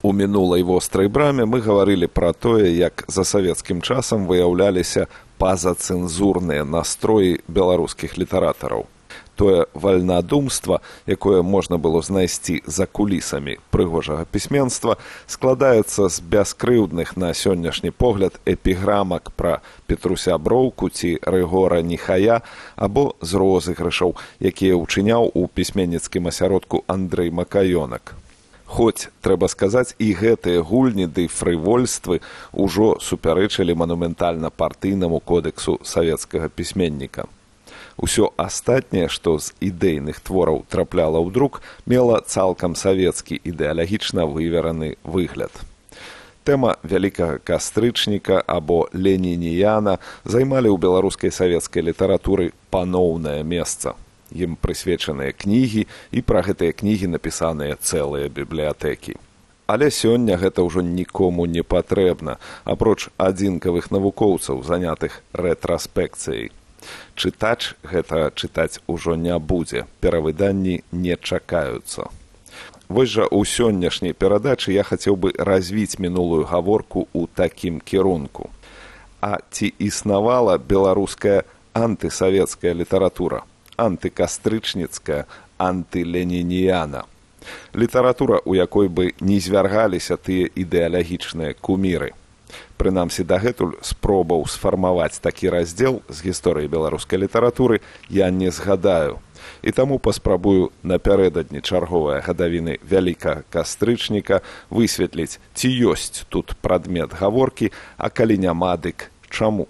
У мінулай вострай браме мы гаварылі пра тое, як за савецкім часам выяўляліся пазацэнзурныя настроі беларускіх літаратараў. Тое вальнадумства, якое можна было знайсці за кулісамі прыгожага пісьменства, складаецца з бяскрыўдных на сённяшні погляд эпіграмак пра Петруся Броўку ці Рыгора Нихая або з розыгрышаў, якія ўчыняў у пісьменніцкім асяродку Андрэй Макаёнак. Хоць, трэба сказаць, і гэтыя гульні ды фрывольствы ўжо супярэчылі манументальна-партыйнаму кодэксу савецкага пісьменніка. Усё астатняе, што з ідэйных твораў трапляла ў друк, мела цалкам савецкі ідэалагічна вывераны выгляд. Тэма вялікага кастрычніка або ленініяна займалі ў беларускай савецкай літаратуры паноўнае месца. Ім прысвечаныя кнігі, і пра гэтыя кнігі напісаныя цэлыя бібліятэкі. Але сёння гэта ўжо нікому не патрэбна, апроч адзінкавых навукоўцаў, занятых рэтраспекцыяй. Чытач гэта чытаць ужо не будзе, перавыданні не чакаюцца. Вось жа ў сённяшняй перадачы я хацеў бы развіць мінулую гаворку ў такім кірунку. А ці існавала беларуская антысавецкая літаратура? Антыкастрычніцкая, антыленініяна. Літаратура, у якой бы не звяргаліся тыя ідэалагічныя куміры. Прынамсі, дагэтуль спробаў сфармаваць такі раздзел з гісторыі беларускай літаратуры я не згадаю. І таму паспрабую напярэдадні чарговыя гадавіны вялікага кастрычніка высветліць, ці ёсць тут прадмет гаворкі, а калі няма, дык чаму.